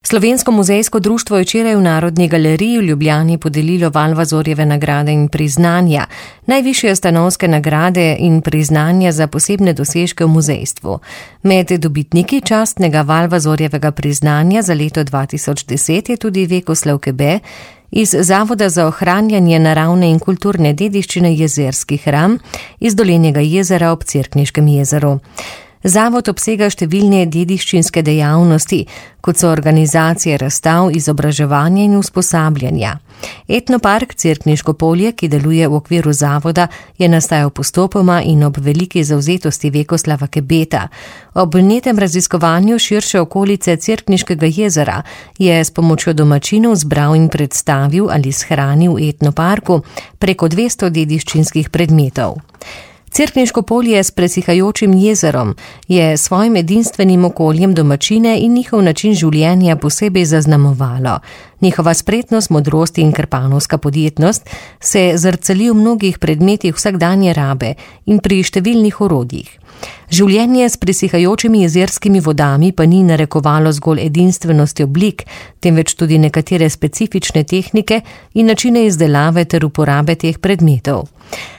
Slovensko muzejsko društvo je včeraj v Narodni galeriji v Ljubljani podelilo Valvazorjeve nagrade in priznanja, najvišje stanovske nagrade in priznanja za posebne dosežke v muzejstvu. Med dobitniki častnega Valvazorjevega priznanja za leto 2010 je tudi Vekoslav Kebe iz Zavoda za ohranjanje naravne in kulturne dediščine Jezerski hram iz Dolenjega jezera ob Cerkniškem jezeru. Zavod obsega številne dediščinske dejavnosti, kot so organizacije razstav, izobraževanja in usposabljanja. Etnopark Cerkniško polje, ki deluje v okviru zavoda, je nastajal postopoma in ob veliki zavzetosti Vekoslava Kebeta. Ob vnetem raziskovanju širše okolice Cerkniškega jezera je s pomočjo domačinov zbral in predstavil ali shranil v etnoparku preko 200 dediščinskih predmetov. Cerkniško polje s presihajočim jezerom je svojim edinstvenim okoljem domačine in njihov način življenja posebej zaznamovalo. Njihova spretnost, modrost in krpanovska podjetnost se zrcali v mnogih predmetih vsakdanje rabe in pri številnih orodjih. Življenje s presihajočimi jezerskimi vodami pa ni narekovalo zgolj edinstvenosti oblik, temveč tudi nekatere specifične tehnike in načine izdelave ter uporabe teh predmetov.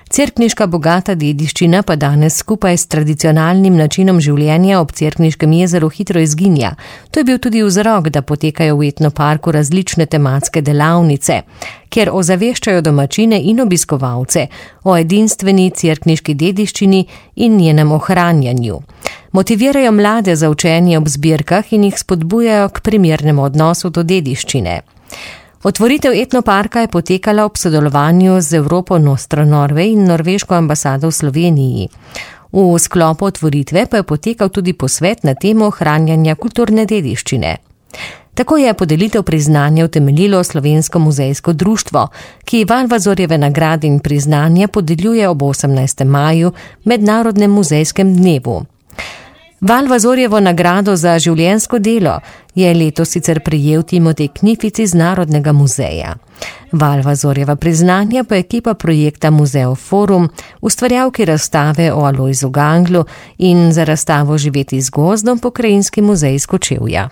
Cerkniška bogata dediščina pa danes skupaj s tradicionalnim načinom življenja ob Cerkniškem jezeru hitro izginja. To je bil tudi vzrok, da potekajo v etnoparku različne tematske delavnice, kjer ozaveščajo domačine in obiskovalce o edinstveni cerkniški dediščini in njenem ohranjanju. Motivirajo mlade za učenje ob zbirkah in jih spodbujajo k primernemu odnosu do dediščine. Otvoritev etnoparka je potekala ob sodelovanju z Evropo Nostro Norway in norveško ambasado v Sloveniji. V sklopu otvoritve pa je potekal tudi posvet na temo ohranjanja kulturne dediščine. Tako je podelitev priznanja utemeljilo Slovensko muzejsko društvo, ki Valvazorjeve nagrade in priznanja podeljuje ob 18. maju, mednarodnem muzejskem dnevu. Valvazorjevo nagrado za življenjsko delo je letos sicer prejel Timotej Knific iz Narodnega muzeja. Valvazorjeva priznanja pa ekipa projekta Muzeov Forum, ustvarjalki razstave o Alojzu Ganglu in za razstavo Živeti z gozdom Pokrajinski muzej iz Kočevja.